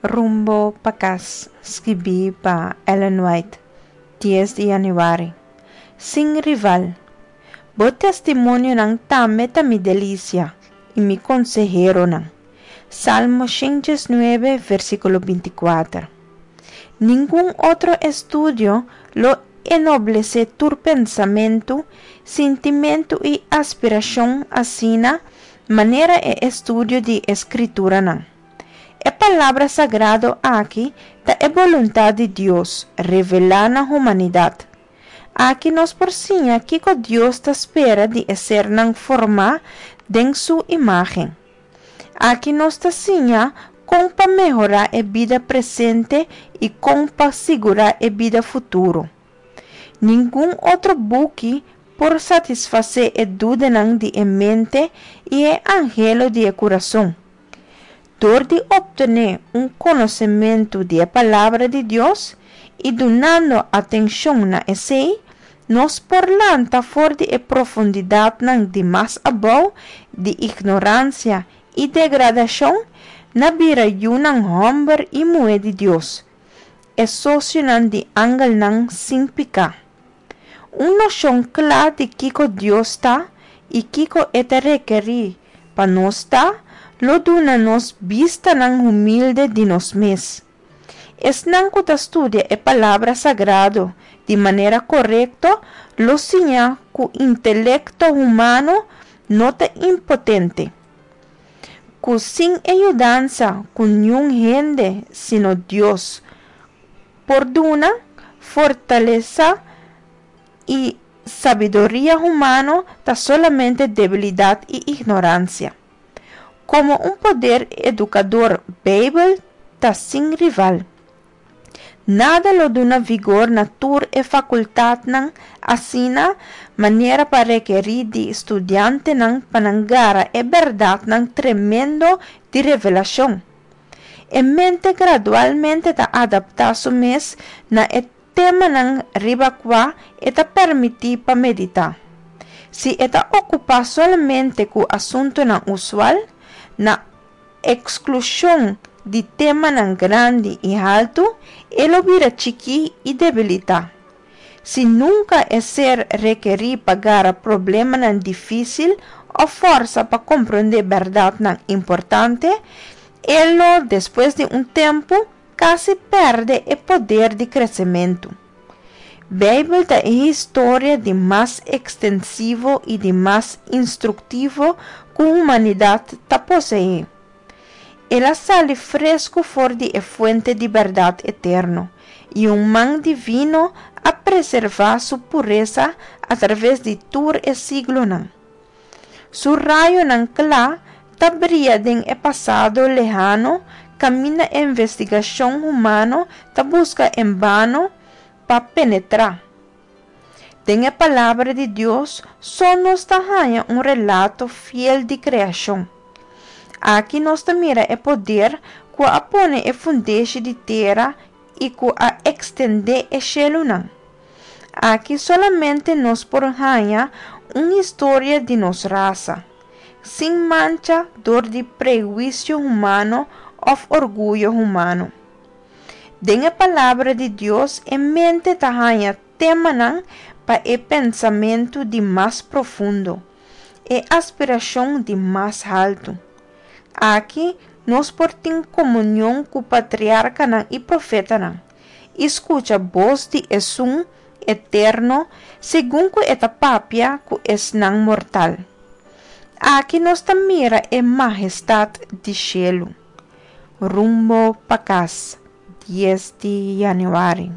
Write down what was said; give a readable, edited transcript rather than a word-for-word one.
Rumbo pa kas, skibí pa Ellen White, dies di yanüari. Sin rival. Bo testimonionan tambe ta mi delisia i mi konseheronan. Salmo 119, versíkulo 24. Ningun otro estudio lo enoblesé tur pensamentu, sintimentu i aspirashon asina manera e estudio di e Skrituranan. E Palabra sagrado aki ta e boluntat di Dios revelá na humanidat. Aki nos por siña kiko Dios ta spera di e sernan formá den su imágen. Aki nos ta siña kon pa mehorá e bida presente i kon pa sigurá e bida futuro. Ningun otro buki por satisfasé e dudanan di e mente i e anhelo di e kurason. Dor di optené un konosementu di e Palabra di Dios i dunando atenshon na esei, nos por lanta for di e profundidatnan di mas abou di ignoransia i degradashon na bira yunan hòmber i muhé di Dios, e sosionan di angelnan sin piká. Un noshon kla di kiko Dios ta i kiko e ta rekerí pa nos ta, lo duna nos bistanan humilde di nos mes. Esnan ku ta studia e Palabra Sagrado di manera korekto lo siña ku intelekto humano no ta impotente, ku sin e yudansa ku niun hende sino Dios por duna, fortalesa i sabiduria humano ta solamente debilidat i ignoransia. Komo un poder edukador Beibel ta sin rival. Nada lo duna vigor na tur e fakultatnan asina manera pa rekerí di studiantenan pa nan gara e bèrdatnan tremendo di revelashon. E mente gradualmente ta adaptá su mes na e temanan riba kua e ta permití pa meditá. Si e ta okupá solamente ku asuntunan usual, na eksklushon di temanan grandi i haltu, e lo bira chikí i debilitá. Si nunka e ser rekerí pa gara problemanan difísil òf fòrsa pa komprondé bèrdatnan importante, e lo, despues di un tempu, kasi pèrdè e poder di kresementu. Beibel ta e historia di mas ekstensivo i di mas instruktivo ku humanidat ta poseé. El a sali fresku for di e fuente di bèrdat eterno, i un man divino a preservá su puresa atraves di tur e siglonan. Su rayonan kla ta bria den e pasado lehano kaminda e investigashon humano ta buska en bano pa penetrá. Den e Palabra di Dios so nos ta haña un relato fiel di kreashon. Aki nos ta mira e poder ku a pone e fundeshi di tera i ku a ekstendé e shelunan. Aki solamente nos por haña un historia di nos rasa, sin mancha dor di prehuisio humano òf orguyo humano. Den e Palabra di Dios e mente ta haña temanan pa e pensamentu di mas profundo, e aspirashon di mas haltu. Aki nos por tin komunion ku patriarkanan i profetanan, i skucha bos di Esun Eterno segun ku e ta papia ku esnan mortal. Aki nos ta mira e mahestat di shelu. Rumbo pa kas, dies di yanüari.